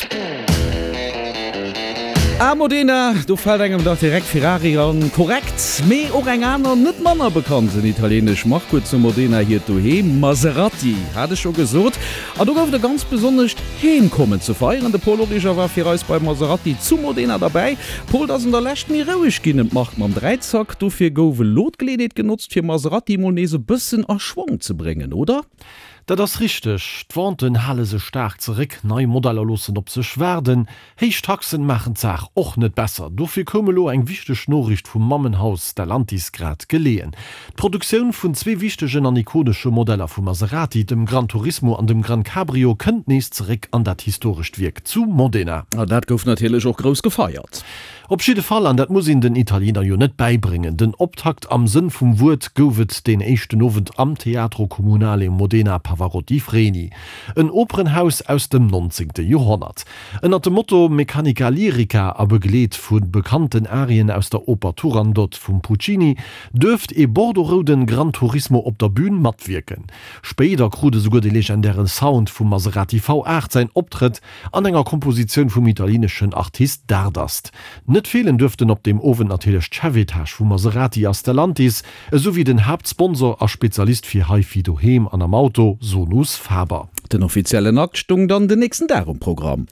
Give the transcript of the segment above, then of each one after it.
Gutt. A Modena, do fält engem dach direkt Ferrari an. Korrekt, mee och eng aner, net manner bekannten italienesch Mark huet zu Modena hiert Doheem, Maserati, hat ech scho gesot. An do gouf et e ganz besonnescht Heemkommen ze feieren. De Paul Origer war fir eis bei Maserati zu Modena derbäi. Paul, et ass an der Lescht méi roueg ginn ëm d'Mark mam Dräizack. Dofir gouf elo d'Geleeënheet genotzt, fir Maserati mol nees e bëssen a Schwong ze bréngen, oder? Dat ass richteg, d'Venten hale sech staark zeréck, nei Modeller loossen op sech waarden, héich Taxen maachen d'Saach och net besser. Dofir koum elo eng wichteg Noriicht vum Mammenhaus Stellantis grad geleeën. D'Produktioun vun zwee wichtegen an ikonesche Modeller vu Maserati, dem Gran Turismo an dem Gran Cabrio, kënnt nees zeréck an dat historescht Wierk zu Modena. A dat gouf natierlech och grouss gefeiert. Op jidde Fall, an dat muss een den Italiener jo net bäibréngen, den Optakt am Sënn vum Wuert gouf et deen éischten Owend am Teatro Comunale Modena Pavarotti Freni, en Operenhaus aus dem nonzéngte Joerhonnert. Ënnert dem Motto Meccanica Lirica a begleet vu bekannten Arien aus der Oper Turandot vum Puccini duerft ee bordeaux-rouden Gran Turismo op der Bün matwierken. Spéider krut esouguer de legendäre Sound vum Maserati V8 säin Optrëtt An enger Kompositioun vum italieneschen Artist Dardust. Net feelen duerften op deem Owend natierlech d'Chefetage vu Maserati a Stellantis, esou wéi den Haaptsponsor a Spezialist fir HiFi doheem an am Auto, Sonus Faber. Den offiziellen Akt stung dann den nächsten Dag um Programm.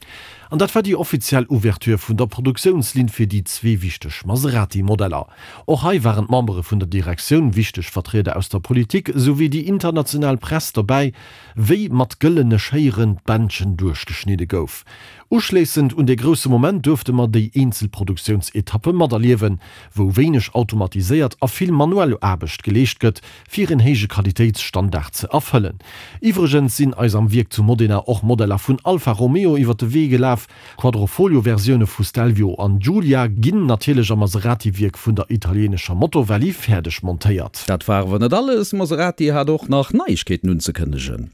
An dat war déi offiziell Ouverture vun der Produktiounslinn fir déi zwee wichteg Maserati-Modeller. Och hei waren d'Membere vun der Direktioun, wichteg Vertrieder aus der Politik, esou wéi déi international Press dobäi, wéi mat gëllene Schéieren d'Bändchen duerchgeschnidde gouf. Uschléissend un dee grousse Moment duerfte mer déi eenzel Produktiounsetappe materliewen, wou wéineg automatiséiert a vill manuell Aarbecht geleescht gëtt, fir en héije Qualitéitsstandard ze erfëllen. Iwwregens sinn eis am Wierk zu Modena och Modeller vun Alfa Romeo iwwer de Wee gelaf, Quadrofolio-Versioune vu Stelvio an Giulia ginn natierlech am Maserati-Wierk vun der italienescher Motorvalley fäerdeg montéiert. Dat war awer net alles, Maserati hat och nach Neiegkeeten unzekënnegen.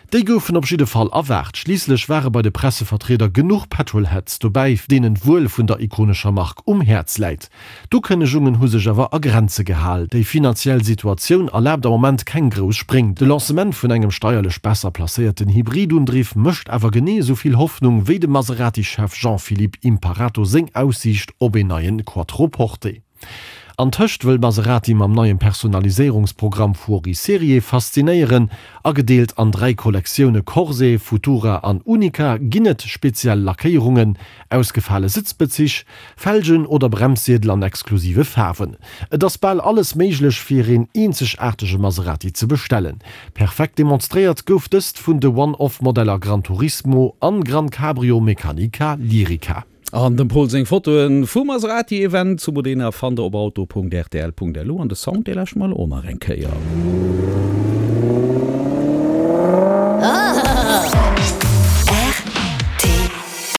Déi goufen op jidde Fall erwaart. Schliisslech ware bei de Pressevertrieder genuch Petrolheads dobäi, deenen d'Wuel vun der ikonescher Mark um Häerz läit. D'Ukënnegungen hu sech awer a Grenze gehal. Déi finanziell Situatioun erlaabt am Moment keng grouss Spréng. De Lancement vun engem steierlech besser placéierten Hybridundriff mécht awer genee esou vill Hoffnung wéi dem Maserati-Chef Jean-Philippe Imparato seng Aussiicht op een neien Quattroporte. Antëscht wëll Maserati mam neiem Personaliséierungsprogramm Fuori Serie faszinéieren. Agedeelt an 3 Kollektioune Corse, Futura an Unica ginn et speziell Lackéierungen, ausgefale Sëtzbezich, Felgen oder Bremsziedel an exklusive Faarwen. Et ass bal alles méiglech fir een eenzegaartege Maserati ze bestellen. Perfekt demonstréiert gouf dëst vun de One-Off-Modeller Gran Turismo an Gran Cabrio Meccanica Lirica. An dem Pol seng Fotoen vum Maserati Event zu Modena fannt der op auto.rtl.lu an de Sound dee lauschteren mer elo och nach eng Kéier.